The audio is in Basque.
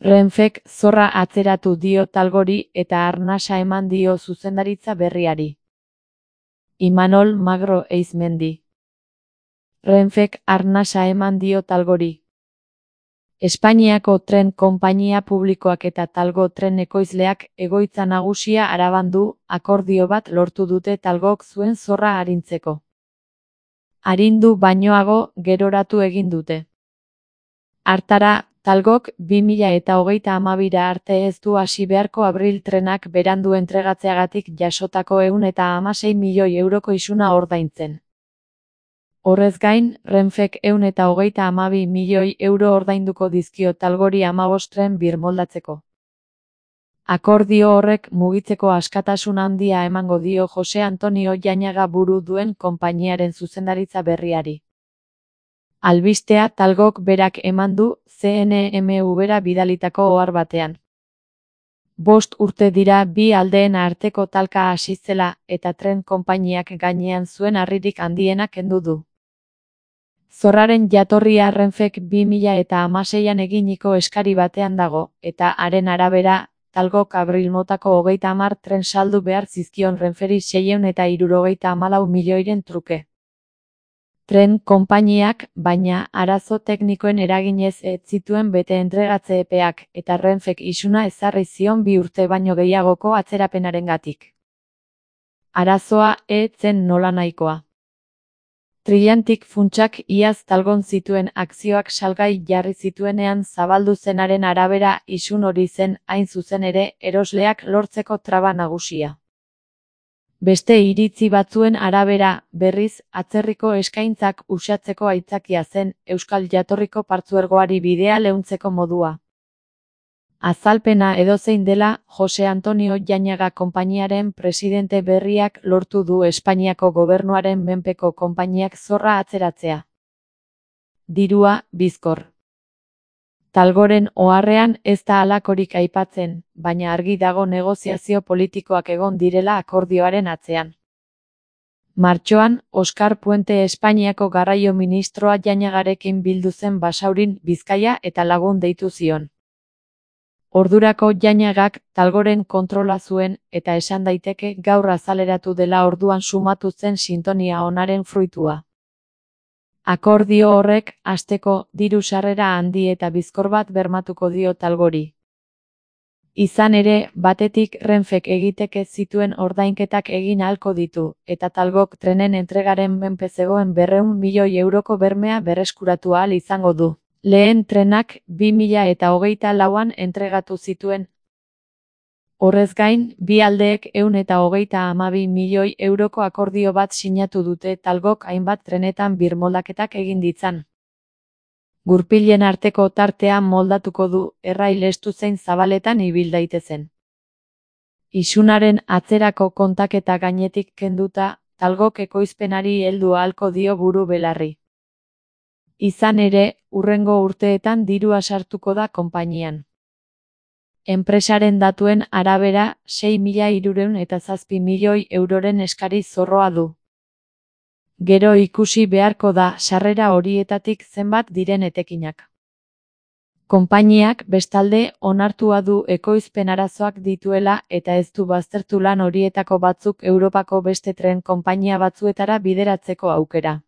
Renfek zorra atzeratu dio Talgori eta arnasa eman dio zuzendaritza berriari. Imanol Magro Eizmendi. Renfek arnasa eman dio Talgori. Espainiako tren konpainia publikoak eta Talgo tren ekoizleak egoitza nagusia Araban du, akordio bat lortu dute Talgok zuen zorra arintzeko. Arindu bainoago geroratu egin dute. Hartara, Talgok 2032 arte ez du hasi beharko Abril trenak berandu entregatzeagatik jasotako 116 milioi euroko isuna ordaintzen. Horrez gain, Renfek 132 milioi euro ordainduko dizkio Talgori 15 tren birmoldatzeko. Akordio horrek mugitzeko askatasun handia emango dio Jose Antonio Jañaga buru duen konpainiaren zuzendaritza berriari. Albistea Talgok berak eman du CNMV-ra bidalitako ohar batean. 5 urte dira bi aldeen arteko talka hasi zela eta tren konpainiak gainean zuen harririk handiena kendu du. Zorraren jatorria Renfek 2016an eginiko eskari batean dago, eta haren arabera, Talgok Abril motako 30 tren saldu behar zizkion Renferi 674 milioiren truke. Tren konpainiak, baina, arazo teknikoen eraginez ez zituen bete entregatze epeak, eta Renfek isuna ezarri zion 2 urte baino gehiagoko atzerapenarengatik. Arazoa ez zen nolanahikoa. Trilantic funtsak iaz Talgon zituen akzioak salgai jarri zituenean zabaldu zenaren arabera isun hori zen hain zuzen ere erosleak lortzeko traba nagusia. Beste iritzi batzuen arabera, berriz, atzerriko eskaintzak uxatzeko aitzakia zen euskal jatorriko partzuergoari bidea leuntzeko modua. Azalpena edozein dela, Jose Antonio Jañaga konpainiaren presidente berriak lortu du Espainiako gobernuaren menpeko konpainiak zorra atzeratzea. Dirua, bizkor. Talgoren oharrean ez da halakorik aipatzen, baina argi dago negoziazio politikoak egon direla akordioaren atzean. Martxoan, Oskar Puente Espainiako garraio ministroa Jañagarekin bildu zen Basaurin, Bizkaia eta Lagun deitu zion. Ordurako Jañagak Talgoren kontrola zuen eta esan daiteke gaur azaleratu dela orduan sumatu zen sintonia onaren fruitua. Akordio horrek, hasteko, diru sarrera handi eta bizkor bat bermatuko dio Talgori. Izan ere, batetik Renfek egiteke zituen ordainketak egin ahalko ditu, eta Talgok trenen entregaren menpe zegoen 200 milioi euroko bermea berreskuratu ahal izango du. Lehen trenak 2024an entregatu zituen. Horrez gain, bi aldeek 132 milioi euroko akordio bat sinatu dute Talgok hainbat trenetan birmoldaketak egin ditzan. Gurpilen arteko tartea moldatuko du, errail estu zein zabaletan ibil daitezen. Isunaren atzerako kontaketa gainetik kenduta, Talgok ekoizpenari heldu ahalko dio buru belarri. Izan ere, hurrengo urteetan dirua sartuko da konpainian. Enpresaren datuen arabera, 6.307 milioi euroren eskari zorroa du. Gero ikusi beharko da sarrera horietatik zenbat diren etekinak. Konpainiak, bestalde, onartua du ekoizpen arazoak dituela eta ez du baztertu lan horietako batzuk Europako beste tren konpainia batzuetara bideratzeko aukera.